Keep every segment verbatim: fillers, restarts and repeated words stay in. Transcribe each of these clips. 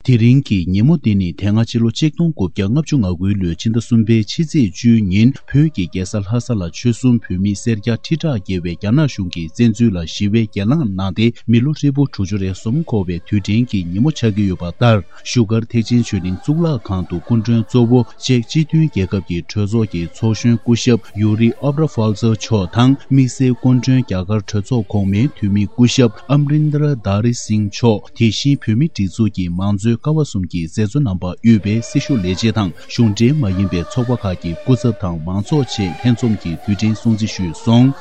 དེ་རིང་གི་ཉིན་མོ་འདི་ནི་དེ་སྔ་ཕྱི་ལོ་ཆིག་སྟོང་དགུ་བརྒྱ་ལྔ་བཅུ་ང་དགུའི་ལོའི་ཕྱི་ཟླ་གསུམ་པའི་ཕྱི་ཚེས་བཅུའི་ཉིན་བོད་ཀྱི་རྒྱལ་ས་ལྷ་ས་ལ་ཆོལ་གསུམ་བོད་མི་སེར་སྐྱ་ཁྲི་ཕྲག་བརྒལ་བས་རྒྱ་ནག་གཞུང་གི་བཙན་འཛུལ་ལ་ཞི་བའི་གྱེན་ལངས་གནང་སྟེ། མི་ལོ་ཧྲིལ་པོ་དྲུག་ཅུ་རེ་གསུམ་འཁོར་བའི་དུས་དྲན་གྱི་ཉིན་མོ་ཆགས་ཀྱི་ཡོད་པ་ལྟར། བཞུགས་སྒར་ཐེག་ཆེན་ཆོས་གླིང་གཙུག་ལག་ཁང་དུ་སྐུ་མགྲོན་གཙོ་བོ་ཅེཀ་སྤྱི་མཐུན་རྒྱལ་ཁབ་ཀྱི་གྲོས་ཚོགས་ཀྱི་ཚོགས་གཞོན་སྐུ་ཞབས་ཡུ་རི་ཨབ་ར་ཧྥལ་ཙེ་མཆོག་དང་། དམིགས་བསལ་སྐུ་མགྲོན་རྒྱ་གར་གྲོས་ཚོགས་གོང་མའི་འཐུས་མི་སྐུ་ཞབས་ཨམ་རིན་དར་དཱ་རི་སིང་མཆོག་དེ་བཞིན་བོད་མིའི་སྒྲིག་འཛུགས་ཀྱི་མང་གཙོའི་ཀ་བ་གསུམ་གྱི་མཛད་གཙོ་རྣམ་པ་དབུས་པའི་སྲི་ཞུ་ལས་བྱེད་དང་། གཞུང་འབྲེལ་མ་ཡིན་པའི་ཚོགས་པ་ཁག་གི་སྐུ་ཚབ་དང་མང་ཚོགས་བཅས་ལྷན་འཛོམས་ཀྱིས་དུས་དྲན་སྲུང་བརྩི་ཞུས་སོང་།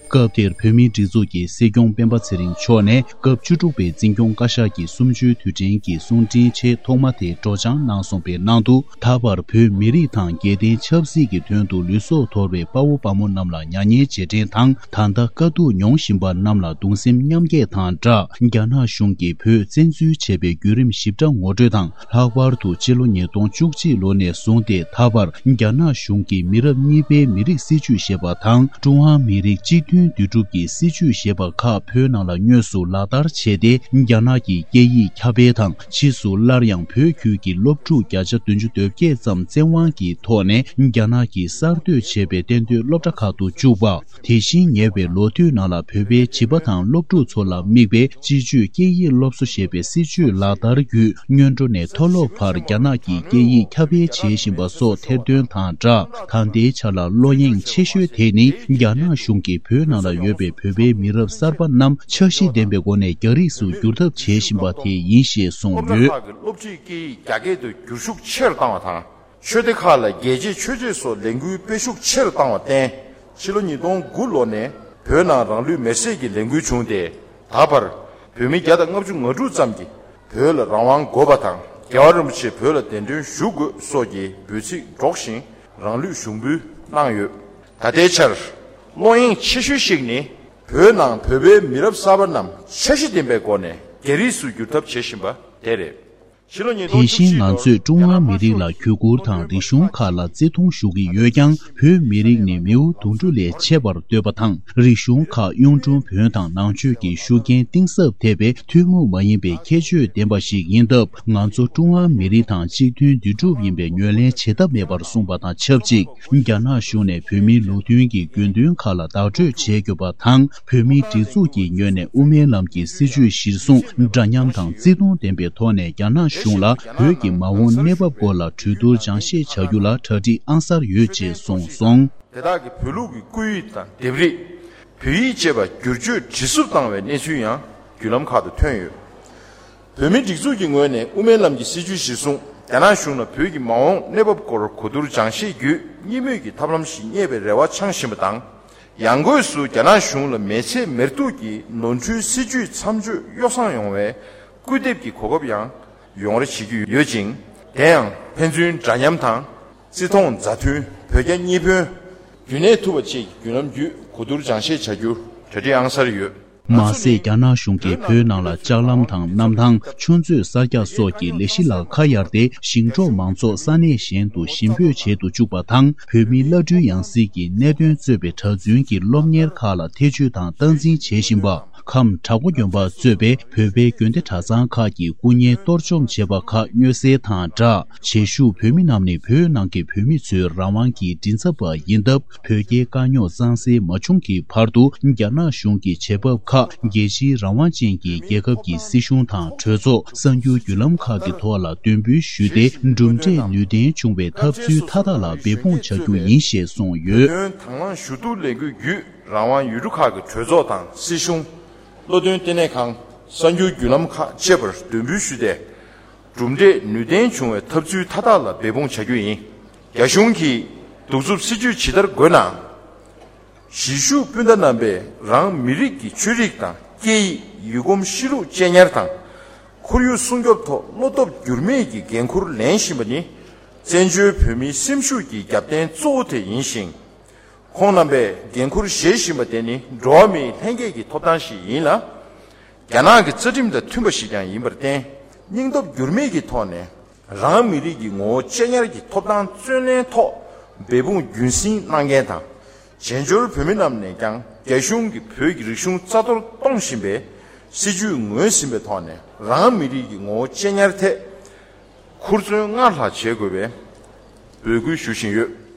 སྐབས་དེར་བོད་མིའི་སྒྲིག་འཛུགས་ཀྱི་སྲིད་སྐྱོང་སྤེན་པ་ཚེ་རིང་མཆོག་ནས་སྐབས་བཅུ་དྲུག་པའི་འཛིན་སྐྱོང་བཀའ་ཤག་གི་གསུམ་བཅུའི་དུས་དྲན་གྱི་གསུང་འཕྲིན་ཆེས་ཐོག་མ་དེ་སྒྲོག་སྦྱང་གནང་སོང་པའི་ནང་དུ། ད་བར་བོད་མི་རིགས་དང་རྒྱལ་བསྟན་ཆབ་སྲིད་ཀྱི་དོན་དུ་ལུས་སྲོག་དོར་བའི་དཔའ་བོ་དཔའ་མོ་རྣམས་ལ་མྱ་ངན་རྗེས་དྲན་དང་། ད་ལྟ་དཀའ་སྡུག་མྱོང་བཞིན་པ་རྣམས་ལ་གདུང་སེམས་མཉམ་སྐྱེད་དང་སྦྲགས། རྒྱ་ནག་གཞུང་གིས་བོད་བཙན་འཛུལ་བྱས་པའི་བརྒྱུད་རིམ་ཞིབ་ཕྲ་ངོ་སྤྲོད་དང་། ལྷག་པར་དུ་ཕྱི་ལོ་ཉིས་སྟོང་བཅུ་གཅིག་ལོ་ནས་བཟུང་སྟེ་ད་བར་རྒྱ་ནག་གཞུང་གིས་མི་རབས་གཉིས་པའི་མི་རིགས་སྲིད་བྱུས་ཞེས་པ་དང་། ཀྲུང་ཧྭ་མི་རིགས་གཅིག་མཐུན་འདུས་གྲུབ་ཀྱི་སྲིད་བྱུས་ཞེས་པ་ཁག་བོད་ནང་ལ་དངོས་སུ་ལག་བསྟར་བྱས་ཏེ། རྒྱ་ནག་གི་སྐད་ཡིག་ཁྱབ་སྤེལ་དང་། ཕྱིས་སུ་སླར་ཡང་བོད་ཁུལ་གྱི་སློབ་ཕྲུག་བརྒྱ་ཆ་བདུན་ཅུ་དོན་བརྒྱད་ཙམ་བཙན་དབང་གི་ཐོག་ནས་རྒྱ་ནག་གིས་གསར་གཏོད་བྱས་པའི་གཏན་སྡོད་སློབ་གྲྭ་ཁག་ཏུ་བཅུག་པ། དེ་བཞིན་ཉེ་བའི་ལོ་དུས་ནང་ལ་བོད་པའི་བྱིས་པ་དང་སློབ་ཕྲུག་ཚོ་ལ་དམིགས་པའི་སྤྱི་སྤྱོད་སྐད་ཡིག་སློབ་གསོ་ཞེས་པའི་སྲིད་བྱུས་ལག་བསྟར་བརྒྱུད། སྔོན་འགྲོ་ནས་མཐོ་སློབ་བར་རྒྱ་ནག་གིས་སྐད་ཡིག་ཁྱབ་སྤེལ་བྱེད་བཞིན་པ་སོགས་ཐེར་འདོན་དང་སྦྲགས། ད་ལྟའི་ཆར་ལ་བློ་གཡེང་ཆེ་ཤོས་དེ་ནི་རྒྱ་ནག་གཞུང་གིས་བོད་ནང་ལ་ཡོད་པའི་བོད་པའི་མི་རབས་གསར་པ་རྣམས་འཆར་གཞི་ལྡན་པའི་སྒོ་ནས་རྒྱ་རིགས་སུ་བསྒྱུར་ཐབས་བྱེད་བཞིན་པ་དེ་ཡིན་ཞེས་གསུངས་ཡོད། སློབ་གྲྭ་ཁག་གི་སློབ་ཁྲིད་སྐད་ཡིག་རྒྱ་སྐད་དུ་བསྒྱུར་ཤུགས་ཆེ་རུ་བཏང་བ་དང་། ཆོས་སྡེ་ཁག་ལ་རྒྱལ་གཅེས་ཆོས་གཅེས་སོགས་ལས་འགུལ་སྤེལ་ཤུགས་ཆེ་རུ་བཏང་བར་བརྟེན། ཕྱི་ལོ་ཉིས་སྟོང་དགུ་ལོ་ནས་བོད་ནང་རང་ལུས་མེར་སྲེག་གི་ལས་འགུལ་བྱུང་སྟེ། ད་བར་བོད་མི་བརྒྱ་དང་ལྔ་བཅུ་ང་དྲུག་ཙམ་གྱིས་བོད་ལ་རང་དབང་དགོས་པ་དང་། རྒྱལ་བ་རིན་པོ་ཆེ་བོད་ལ་གདན་འདྲེན་ཞུ་དགོས་སོགས་ཀྱི་འབོད་ཚིག་སྒྲོག་བཞིན་རང་ལུས་ཞུགས་འབུལ་གནང་ཡོད། ད་ལྟའི་ཆར་བློ་གཡེང་ཆེ་ཤོས་ཤིག་ནི། བོད་ནང་བོད་པའི་མི་རབས་གསར་པ་རྣམས་འཆར་གཞི་ལྡན་པའི་སྒོ་ནས་རྒྱ་རིགས་སུ་བསྒྱུར་ཐབས་བྱེད་བཞིན་པ་དེ་རེད། དེ་བཞིན་ང་ཚོས་ཀྲུང་ཧྭ་མི་རིགས་ལ་གུས་བཀུར་དང་རིག་གཞུང་ཁག་ལ་བརྩི་མཐོང་ཞུ་གི་ཡོད་ཀྱང་། བོད་མི་རིགས་ནི་མིའུ་གདུང་དྲུག་ལས་ཆེ་བར་འདོད་པ་དང་། རིག་གཞུང་ཁག་གཡུང་དྲུང་བོན་དང་ནང་ཆོས་ཀྱི་ཤུགས་རྐྱེན་གཏིང་ཟབ་ཐེབས་པའི་ཐུན་མོང་མ་ཡིན་པའི་ཁྱད་ཆོས་ལྡན་པ་ཞིག་ཡིན་སྟབས། ང་ཚོ་ཀྲུང་ཧྭ་མི་རིགས་དང་གཅིག་མཐུན་འདུས་གྲུབ་ཡིན་པའི་ངོས་ལེན་བྱེད་ཐབས་མེད་པར་གསུངས་པ་དང་ཆབས་ཅིག་རྒྱ་ནག་གཞུང་ནས་བོད་མིའི་ལུགས་མཐུན་གྱི་དགོས་འདུན་ཁག་ལ་བདག་སྤྲོད་བྱེད་དགོས་པ་དང་། བོད་མིའི་སྒྲིག་འཛུགས་ཀྱི་ངོས་ནས་དབུ་མའི་ལམ་གྱི་སྲིད་བྱུས་གཞིར་བཟུང་འདྲ་མཉམ་དང་བརྩི་མཐོང་ལྡན་པའི་ཐོག་ནས་རྒྱ་ནག་གཞུང་ལ་བོད་ཀྱི་མ་འོངས་གནས་བབ་སྐོར་ལ་གྲོས་བསྡུར་སྦྱང་བཤད་བྱ་རྒྱུ་ལ་གྲ་སྒྲིག་ཨང་གསར་ཡོད་ཅེས་གསུངས་སོང་། དེ་དག་གིས་བོད་ལུགས་ཀྱི་སྐུད་ཡིག་དང་ལྡེབས་རིས། བོད་ཡིག་བཅས་པ་བསྒྱུར་བཅོས་འབྲི་སུབ་བཏང་བའི་གནས་ཚུལ་ཡང་བརྒྱུད་ལམ་ཁག་ཏུ་ཐོན་ཡོད། བོད་མིའི་སྒྲིག་འཛུགས་ཀྱི་ངོས་ནས་དབུ་མའི་ལམ་གྱི་སྲིད་བྱུས་གཞིར་བཟུང་རྒྱ་ནག་གཞུང་ལ་བོད་ཀྱི་མ་འོངས་གནས་བབ་སྐོར་གོ་བསྡུར་སྦྱང་བཤད་བརྒྱུད་གཉིས་མོས་ཀྱི་ཐབས་ལམ་ཞིག་རྙེད་པའི་རེ་བ་འཆང་བཞིན་པ་དང་། ཡང་སྒོས་སུ་རྒྱ་ནག་གཞུང་ལ་མེལ་ཚེ་མེར་གཏུགས་ཀྱི་ནོར་འཁྲུལ་སྲིད་བྱུས་མཚམས་གཅོད་གཡོ་བསྲང་ཡོང་བའི་སྐུལ་འདེབས་ཀྱི་གོ་སྐབས་ཡང་ཡོང་རེ་བྱེད་ཀྱི་ཡོད་ཅིང་། དེ་ཡང་ཕན་ཚུན་འདྲ་མཉམ་དང་། བརྩི་མཐོང་མཛའ་མཐུན། བོད་རྒྱ་གཉིས་ཕན། རྒྱུན་གནས་ཐུབ་པ་བཅས་ཀྱི་བརྒྱུད་ལམ་བརྒྱུད་གོ་བསྡུར་སྦྱང་བཤད་བྱ་རྒྱུར་གྲ་སྒྲིག་ཨང་གསར་ཡོད། མ་ཟད། རྒྱ་ནག་གཞུང་གིས་བོད་ནང་ལ་ལྕགས་ལམ་དང་གནམ་ཐང་། ཆུ་མཛོད་གསར་རྒྱག་སོགས་ཀྱི་ལས་གཞི་ལ་ཁ་གཡར་ཏེ། ཞིང་འབྲོག་མང་ཚོགས་ས་གནས་གཞན་དུ་ཞིང་སྤོས་བྱེད་དུ་བཅུག་པ་དང་། བོད་མིའི་བླ་སྤྲུལ་ཡང་སྲིད་ཀྱི་གནད་དོན་གཙོས་པའི་གྲྭ་བཙུན་གྱི་སློབ་གཉེར་ཁག་ལ་ཐེ་བྱུས་དང་སྟངས་འཛིན་བྱེད་བཞིན་པ། ཁམས་བྲག་འགོ་དགོན་པ་གཙོས་པའི་བོད་པའི་དགོན་སྡེ་གྲྭ་ཚང་ཁག་གི་སྐུ་བརྙན་གཏོར་བཅོམ་བྱས་པ་ཁག་མངོན་གསལ་དང་སྦྲགས། བྱེས་བཞུགས་བོད་མི་རྣམས་ནི་བོད་ནང་གི་བོད་མི་ཚོའི་རང་དབང་གི་མགྲིན་ཚབ་པ་ཡིན་སྟབས། བོད་རྒྱའི་དཀའ་རྙོག་གཙང་སེལ་མ་བྱུང་གི་བར་དུ། རྒྱ་ནག་གཞུང་གི་བྱེད་བབ་ཁག་རྒྱལ་སྤྱིའི་རང་དབང་ཅན་གྱི་རྒྱལ་ཁབ་ཀྱི་སྲིད་གཞུང་དང་གྲོས་ཚོགས། གསར་འགྱུར་བརྒྱུད་ལམ་ཁག་གི་ཐོག་ལ་འདོན་འབུལ་ཞུས་ཏེ། གྲུབ་འབྲས་ནུས་ལྡན་བྱུང་བའི་ཐབས་ཚུལ་མཐའ་དག་ལ་འབད་འབུངས་བྱ་རྒྱུ་ཡིན་ཞེས་གསུངས་ཡོད། དོན་དང་བླངས་ཞུ་གཏུག་ལས་འགུལ་བརྒྱུད། རང་དབང་ཡུལ་གྲུ་ཁག་གི་གྲོས་ཚོགས་དང་སྲིད་གཞུང་། བློ་འདོན་ལྟེ་གནས་ཁང་། གསར་འགྱུར་བརྒྱུད་ལམ་ཁག་བཅས་པར་འདོན་འབུལ་ཞུས་ཏེ། གྲུབ་འབྲས་ནུས་ལྡན་བྱུང་བའི་ཐབས་ཚུལ་མཐའ་དག་ལ་འབད་འབུངས་བྱ་རྒྱུ་ཡིན། རྒྱ་གཞུང་གིས་གདུག་རྩུབ་སྲིད་བྱུས་ཇི་ལྟར་དགོས་ནའང་། གཞིས་བཞུགས་སྤུན་ཟླ་རྣམ་པས་རང་མི་རིགས་ཀྱི་ཆོས་རིག་དང་སྐད་ཡིག། ཡུལ་གོམས་གཤིས་ལུགས་གཅེས་ཉར་དང་། ཁོར་ཡུག་སྲུང་སྐྱོབ་ཐོག་བློ་སྟོབས་འགྱུར་མེད་ཀྱི་འགན་འཁུར་ལེན་བཞིན་པ་ནི། བཙན་བྱོལ་བོད་མིའི་སེམས་ཤུགས་ཀྱི་རྒྱབ་རྟེན་གཙོ་བོ་དེ་ཡིན་ཞིང་། ཁོང་རྣམ་པས་འགན་འཁུར་བཞེས་བཞིན་པ་དེ་ནི་འགྲོ་བ་མིའི་ལྷན་སྐྱེས་ཀྱི་ཐོབ་ཐང་ཞིག་ཡིན་ལ། རྒྱ་ནག་གི་རྩ་ཁྲིམས་དང་མཐུན་པ་ཞིག་ཀྱང་ཡིན་པར་བརྟེན། སྙིང་སྟོབས་འགྱུར་མེད་ཀྱི་ཐོག་ནས་རང་མི་རིགས་ཀྱི་ངོ་བོ་གཅེས་ཉར་གྱི་ཐོབ་ཐང་བརྩོན་ལེན་ཐོག་ འབད་འབུངས་རྒྱུན་སྲིང་གནང་མཁན་དང་། བྱེས་འབྱོར་བོད་མི་རྣམས་ནས་ཀྱང་རྒྱ་གཞུང་གིས་བོད་ཀྱི་རིག་གཞུང་རྩ་གཏོར་གཏོང་བཞིན་པའི་སྲིད་བྱུས་ངོས་ཟིན་པའི་ཐོག་ནས། རང་མི་རིགས་ཀྱི་ངོ་བོ་གཅེས་ཉར་ཐད་ཧུར་བརྩོན་སྔར་ལྷག་བྱེད་དགོས་པའི་འབོད་སྐུལ་ཞུ་བཞིན་ཡོད།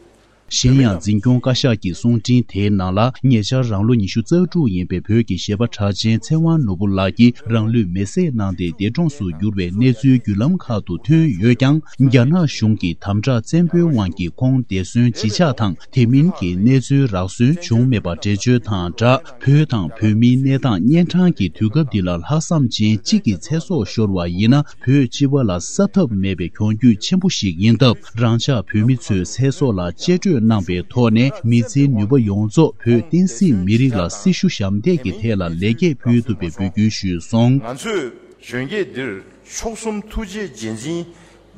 གཞན་ཡང་འཛིན་སྐྱོང་བཀའ་ཤག་གི་གསུང་འཕྲིན་དེའི་ནང་ལ། ཉེ་ཆར་རང་ལོ་ཉི་ཤུ་རྩ་དྲུག་ཡིན་པའི་བོད་ཀྱི་གཞས་པ་གྲགས་ཅན་ཚེ་དབང་ནོར་བུ་ལགས་ཀྱིས་རང་ལུས་མེར་སྲེག་གནང་སྟེ་འདས་གྲོངས་སུ་གྱུར་བའི་གནས་ཚུལ་བརྒྱུད་ལམ་ཁག་ཏུ་ཐོན་ཡོད་ཀྱང་། རྒྱ་ནག་གཞུང་གི་དམ་དྲག་བཙན་པོའི་དབང་གིས་ཁོང་འདས་གསོན་ཇི་ཆགས་དང་། དེ་མིན་གྱི་གནས་ཚུལ་རག་སོན་བྱུང་མེད་པ་འགྲེལ་བརྗོད་དང་སྦྲགས། བོད་དང་བོད་མིའི་གནས་སྟངས་གཉན་འཕྲང་གི་དུས་སྐབས་འདི་ལ་ལྷག་བསམ་ཅན་གཅིག་གི་ཚེ་སྲོག་ཤོར་བ་ཡིན་ན། བོད་སྤྱི་པ་ལ་གསབ་ཐབས་མེད་པའི་གྱོང་གུད་ཆེན་པོ་ཞིག་ཡིན་སྟབས། རང་ཅག་བོད་མི་ཚོས་ཚེ་སྲོག་ལ་གཅེས་སྤྲོས་གནང་པའི་ཐོག་ནས། མི་ཚེའི་ནུས་པ་ཡོངས་རྫོགས་བོད་བསྟན་སྲིད་མི་རིགས་ལ་སྲི་ཞུ་ཞབས་འདེགས་ཀྱི་ཐད་ལ་ལེགས་སྐྱེས་ཕུལ་ཐུབ་པའི་འབོད་སྐུལ་ཞུས་སོང་། ང་ཚོས་གཞོན་སྐྱེས་འདིར་མཆོག་གསུམ་ཐུགས་རྗེའི་རྗེས་འཛིན་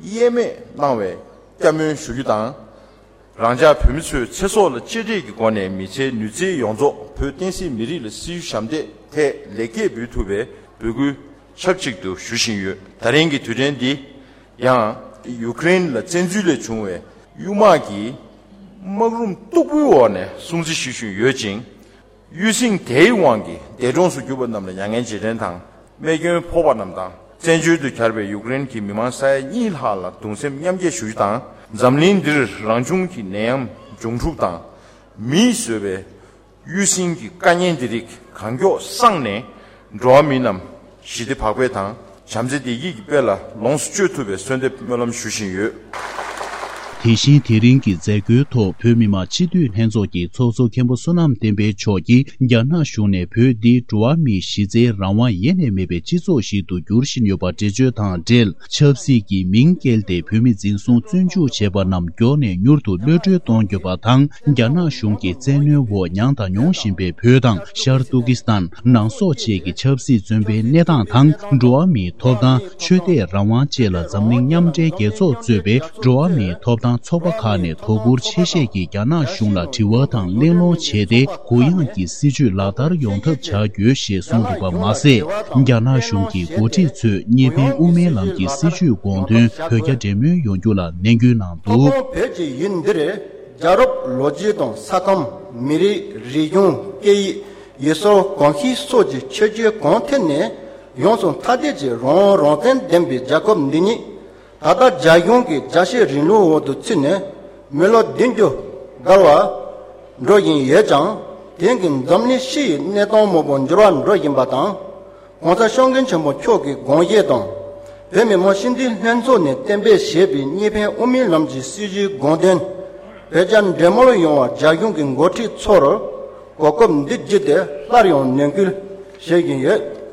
གཡེལ་མེད་གནང་བའི་བསྐྱར་སྨོན་ཞུ་རྒྱུ་དང་། རང་ཅག་བོད་མི་ཚོའི་ཚེ་སྲོག་ལ་གཅེས་སྤྲས་ཀྱི་སྒོ་ནས་མི་ཚེའི་ནུས་ཚད་ཡོངས་རྫོགས་བོད་བསྟན་སྲིད་མི་རིགས་ལ་སྲི་ཞུ་ཞབས་འདེགས་ཐད་ལེགས་སྐྱེས་འབུལ་ཐུབ་པའི་འབོད་སྐུལ་ཆབས་ཅིག་ཏུ་ཞུ་བཞིན་ཡོད། ད་རིང་གི་དུས་དྲན་འདི་ཡང་ཡུ་ཀེ་རེན་ལ་བཙན་འཛུལ་ལས་བྱུང་བའི་གཡུལ་དམག་གི་དམག་རུམ་སྟུག་པོའི་འོག་ནས་སྲུང་བརྩི་ཞུ་བཞིན་ཡོད་ཅིང་། གཡུལ་ཟིང་དེའི་དབང་གིས་འདས་གྲོངས་སུ་གྱུར་པ་རྣམས་ལ་མྱ་ངན་རྗེས་དྲན་དང་། རྨས་སྐྱོན་ཕོག་པ་རྣམས་དང་། བཙན་བྱོལ་དུ་གྱར་བའི་ཡུཀ་རེན་གྱི་མི་མང་ས་ཡ་གཉིས་ལྷག་ལ་གདུང་སེམས་མཉམ་སྐྱེད་ཞུ་རྒྱུ་དང་། འཛམ་གླིང་འདིར་རང་བྱུང་གི་ནད་ཡམས་འབྱུང་འཁྲུག་དང་། མིས་བཟོས་པའི་གཡུལ་ཟིང་གི་དཀའ་ངལ་འདི་རིགས་གང་མགྱོགས་སངས་ནས། འགྲོ་བ་མི་རྣམས་ཞི་བདེ་བག་ཕེབས་དང་། བྱམས་བརྩེ་བདེ་སྐྱིད་ཀྱི་དཔལ་ལ་ལོངས་སུ་སྤྱོད་ཐུབ་པའི་གསོལ་འདེབས་སྨོན་ལམ་ཞུ་བཞིན་ཡོད། དེ་བཞིན་དེ་རིང་གི་མཛད་སྒོའི་ཐོག་བོད་མི་མང་སྤྱི་འཐུས་ལྷན་ཚོགས་ཀྱི་ཚོགས་གཙོ་མཁན་པོ་བསོད་ནམས་བསྟན་འཕེལ་མཆོག་གིས། རྒྱ་ནག་གཞུང་ནས་བོད་འདི་འགྲོ་བ་མིའི་གཞི་རྩའི་རང་དབང་ཡེ་ནས་མེད་པའི་སྤྱི་ཚོགས་ཤིག་ཏུ་འགྱུར་བཞིན་ཡོད་པ་འགྲེལ་བརྗོད་དང་འབྲེལ། ཆབ་སྲིད་ཀྱི་མིང་བཀལ་ཏེ་བོད་མི་འཛིན་བཟུང་བཙོན་འཇུག་བྱས་པ་རྣམས་མགྱོགས་ནས་མྱུར་དུ་གློད་གྲོལ་གཏོང་དགོས་པ་དང་། རྒྱ་ནག་གཞུང་གི་བཙན་གནོན་འོག་མྱངས་དང་མྱོང་བཞིན་པའི་བོད་དང་། ཤར་ཏུར་ཀི་སི་ཐན། ནང་སོག་བཅས་ཀྱི་ཆབ་སྲིད་བཙོན་པའི་གནས་སྟངས་དང་། འགྲོ་བ་མིའི་ཐོབ་ཐང་། ཆོས་དད་རང་དབང་བཅས་ལ་འཛམ་གླིང་མཉམ་འབྲེལ་རྒྱལ་ཚོགས་གཙོས་པའི་འགྲོ་བ་མིའི་ཐོབ་ཐང་ཚོགས་པ་ཁག་ནས་དོ་ཁུར་ཆེ་བཞེས་ཀྱིས་རྒྱ་ནག་གཞུང་ལ་དྲི་བ་དང་གླེང་སློང་བྱས་ཏེ། གུ་ཡངས་ཀྱི་སྲིད་བྱུས་ལག་བསྟར་ཡོང་ཐབས་བྱ་དགོས་ཞེས་གསུངས་འདུག་པ་མ་ཟད། རྒྱ་ནག་གཞུང་གི་འགོ་ཁྲིད་ཚོས་གཉིས་ཕན་དབུ་མའི་ལམ་གྱི་སྲིད་བྱུས་དགོངས་དོན་བོད་རྒྱ་འབྲེལ་མོལ་ཡོང་རྒྱུ་ལ་ནན་སྐུལ་གནང་འདུག། བོད་ཀྱི་ཡུལ་འདིར་རྒྱལ་རབས་ལོ་རྒྱུས་དང་ས་ཁམས། མི་རིགས། རིག་གཞུང་། སྐད་ཡིག་ཡུལ་སྲོལ། གོམས་གཤིས་སོགས་ཀྱི་ཁྱད་ཆོས་གང་ཐད་ནས་ཡོངས་སུ་ཐ་དད་ཀྱི་རང་དབང་རང་བཙན་ལྡན་པའི་རྒྱལ་ཁབ་འདི་ཉིད། ད་ལྟ་རྒྱ་གཞུང་གི་རྒྱལ་བཤད་རིང་ལུགས་འོག་ཏུ་ཚུད་ནས་མི་ལོ་བདུན་ཅུ་བརྒལ་བར་འགྲོ་བཞིན་ཡོད་ཀྱང་། དེང་གི་འཛམ་གླིང་སྤྱི་ཡི་གནས་སྟངས་མང་པོ་འགྱུར་བ་འགྲོ་བཞིན་པ་དང་། ྋགོང་ས་སྐྱབས་མགོན་ཆེན་པོ་མཆོག་གི་དགོངས་བཞེད་དང་། བོད་མི་མང་སྤྱི་འཐུས་ལྷན་ཚོགས་ནས་གཏན་འབེབས་བྱས་པའི་གཉིས་ཕན་དབུ་མའི་ལམ་གྱི་སྲིད་བྱུས་དགོངས་དོན། བོད་རྒྱ་འབྲེལ་མོལ་ཡོང་བར་རྒྱ་གཞུང་གི་འགོ་ཁྲིད་ཚོར་གོ་སྐབས་འདི་བརྒྱུད་དེ་སླར་ཡང་ནན་སྐུལ་བྱེད་བཞིན་ཡོད།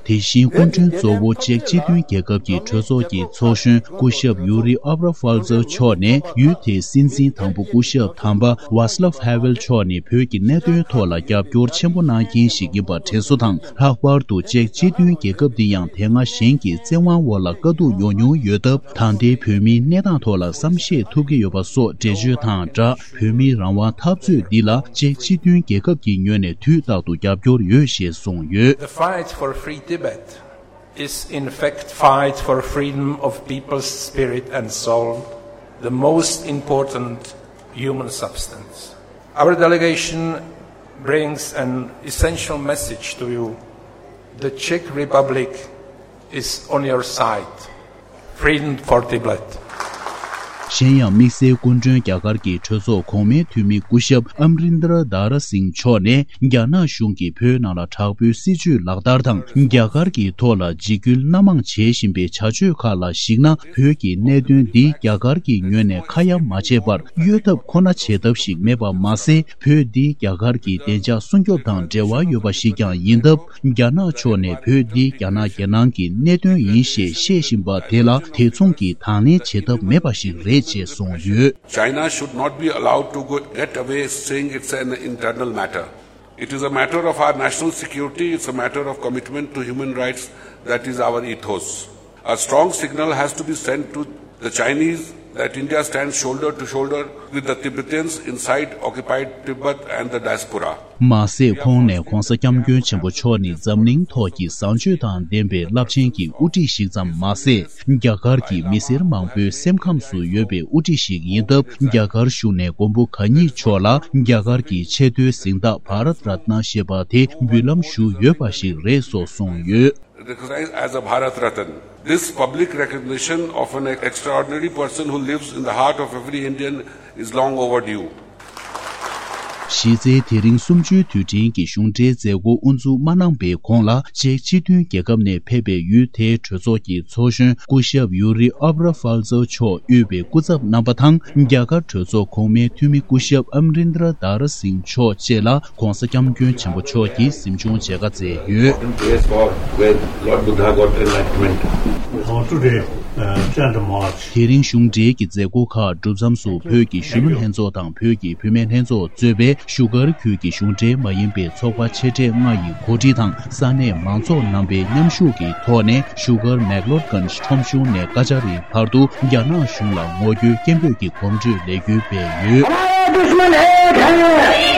དེ་བཞིན་སྐུ་མགྲོན་གཙོ་བོ་ཅེཀ་སྤྱི་མཐུན་རྒྱལ་ཁབ་ཀྱི་གྲོས་ཚོགས་ཀྱི་ཚོགས་གཞོན་སྐུ་ཞབས་ཡུ་རི་ཨབ་ར་ཧྥལ་ཛར་མཆོག་ནས། ཡུལ་དེའི་སྲིད་འཛིན་དང་པོ་སྐུ་ཞབས་དམ་པ་ཝཱ་སི་ལབ་ཧ་ཝེལ་མཆོག་ནི་བོད་ཀྱི་གནད་དོན་ཐོག་ལ་རྒྱབ་སྐྱོར་ཆེན་པོ་གནང་མཁན་ཞིག་ཡིན་པ་དྲན་གསོ་དང་། ལྷག་པར་དུ་ཅེཀ་སྤྱི་མཐུན་རྒྱལ་ཁབ་འདི་ཡང་དེ་སྔ་གཞན་གྱི་བཙན་དབང་འོག་ལ་དཀའ་སྡུག་མྱོང་མྱོང་ཡོད་སྟབས། ད་ལྟའི་བོད་མིའི་གནས་སྟངས་ཐོག་ལ་བསམ་ཤེས་ཐུབ་ཀྱི་ཡོད་པ་སོགས་འགྲེལ་བརྗོད་དང་སྦྲགས། བོད་མིའི་རང་དབང་འཐབ་རྩོད་འདི་ལ་ཅེཀ་སྤྱི་མཐུན་རྒྱལ་ཁབ་ཀྱི་ངོས་ནས་དུས་རྟག་ཏུ་རྒྱབ་སྐྱོར་ཡོད་ཞེས་གསུངས་ཡོད། The fight for free Tibet is in fact fight for freedom of people's spirit and soul, the most important human substance. Our delegation brings an essential message to you. The Czech Republic is on your side. Freedom for Tibet. གཞན་ཡང་དམིགས་བསལ་སྐུ་མགྲོན་རྒྱ་གར་གྱི་གྲོས་ཚོགས་གོང་མའི་འཐུས་མི་སྐུ་ཞབས་ཨམ་རིན་དར་དཱ་ར་སིང་མཆོག་ནས། རྒྱ་ནག་གཞུང་གིས་བོད་ནང་ལ་དྲག་པོའི་སྲིད་བྱུས་ལག་བསྟར་དང་། རྒྱ་གར་གྱི་ཐོག་ལ་འཇིགས་སྐུལ་སྣ་མང་བྱེད་བཞིན་པའི་བྱ་སྤྱོད་ཁག་ལ་གཞིགས་ན། བོད་ཀྱི་གནད་དོན་འདི་རྒྱ་གར་གྱི་ངོས་ནས་ཁ་ཡ་མ་བྱས་པར། གཡོལ་ཐབས་ཁོ་ན་བྱེད་ཐབས་ཤིག་མེད་པ་མ་ཟད། བོད་འདི་རྒྱ་གར་གྱི་བདེ་འཇགས་སྲུང་སྐྱོབ་དང་འབྲེལ་བ་ཡོད་པ་ཞིག་ཀྱང་ཡིན་སྟབས། རྒྱ་ནག་ཕྱོགས་ནས་བོད་འདི་རྒྱ་ནག་རྒྱལ་ནང་གི་གནད་དོན་ཡིན་ཞེས་བཤད་བཞིན་པ་དེ་ལ་དེ་མཚུངས་ཀྱི་དང་ལེན་བྱེད་ཐབས་མེད་པ་ཞིག་རེད་ཅེས་གསུངས་ཡོད། China should not be allowed to go, get away saying it's an internal matter. It is a matter of our national security, it's a matter of commitment to human rights, that is our ethos. A strong signal has to be sent to the Chinese that India stands shoulder to shoulder with the Tibetans inside occupied Tibet and the diaspora. མ་ཟད། ཁོང་ནས་༧གོང་ས་༧སྐྱབས་མགོན་ཆེན་པོ་མཆོག་ནི་འཛམ་གླིང་ཐོག་གི་བཟང་སྤྱོད་དང་ལྡན་པའི་རླབས་ཆེན་གྱི་དབུ་ཁྲིད་ཞིག་ཙམ་མ་ཟད། རྒྱ་གར་གྱི་མི་སེར་མང་པོའི་སེམས་ཁམས་སུ་ཡོད་པའི་དབུ་ཁྲིད་ཞིག་ཡིན་སྟབས། རྒྱ་གར་བཞུགས་ནས་མགོན་པོ་གང་ཉིད་མཆོག་ལ་རྒྱ་གར་གྱི་ཆེས་མཐོའི་གཟེངས་རྟགས་བྷ་རཏ་རཏ་ན་ཞེས་པ་དེ་འབུལ་ལམ་ཞུས་ཡོད་པ་ཞིག་རེད་སོགས་གསུངས་ཡོད། Recognized as a Bharat Ratan. This public recognition of an extraordinary person who lives in the heart of every Indian is long overdue. གཞི་རྩའི་དེ་རིང་གསུམ་བཅུའི་དུས་དྲན་གྱི་གཞུང་འབྲེལ་མཛད་སྒོ་དབུ་འཛུགས་མ་གནང་པའི་གོང་ལ། ཅེཀ་སྤྱི་མཐུན་རྒྱལ་ཁབ་ནས་ཕེབས་པའི་ཡུལ་དེའི་གྲོས་ཚོགས་ཀྱི་ཚོགས་གཞོན་སྐུ་ཞབས་ཡུ་རི་ཨབ་ར་ཧྥལ་ཛོ་མཆོག་དབུས་པའི་སྐུ་ཚབ་རྣམ་པ་དང་། རྒྱ་གར་གྲོས་ཚོགས་གོང་མའི་འཐུས་མི་སྐུ་ཞབས་ཨམ་རིན་དྲ་དར་སིང་མཆོག་བཅས་ལ། ༧གོང་ས་༧སྐྱབས་མགོན་ཆེན་པོ་མཆོག་གིས་གཟིམ་ཆུང་མཇལ་ཁ་བསྩལ་ཡོད། Place for where Lord Buddha got enlightenment. Now today, uh, ten March. དེ་རིང་གཞུང་འབྲེལ་གྱི་མཛད་སྒོ་ཁག་གྲུབ་མཚམས་སུ། བོད་ཀྱི་གཞོན་ནུ་ལྷན་ཚོགས་དང་བོད་ཀྱི་བུད་མེད་ལྷན་ཚོགས་གཙོས་པའི་བཞུགས་སྒར་ཁུལ་གྱི་གཞུང་འབྲེལ་མ་ཡིན་པའི་ཚོགས་པ་ཆེ་གྲས་ལྔ་ཡི་གོ་སྒྲིག་དང་། ས་གནས་མང་ཚོགས་རྣམ་པའི་མཉམ་ཞུགས་ཀྱི་ཐོག་ནས། བཞུགས་སྒར་མེག་ལོར་གྷན་ཁྲོམ་གཞུང་ནས་ཀ་ཅཱ་རིའི་བར་དུ་རྒྱ་ནག་གཞུང་ལ་ངོ་རྒོལ་སྐད་འབོད་ཀྱི་གོམ་བགྲོད་ལས་འགུལ་སྤེལ་ཡོད། हमारा दुश्मन एक है,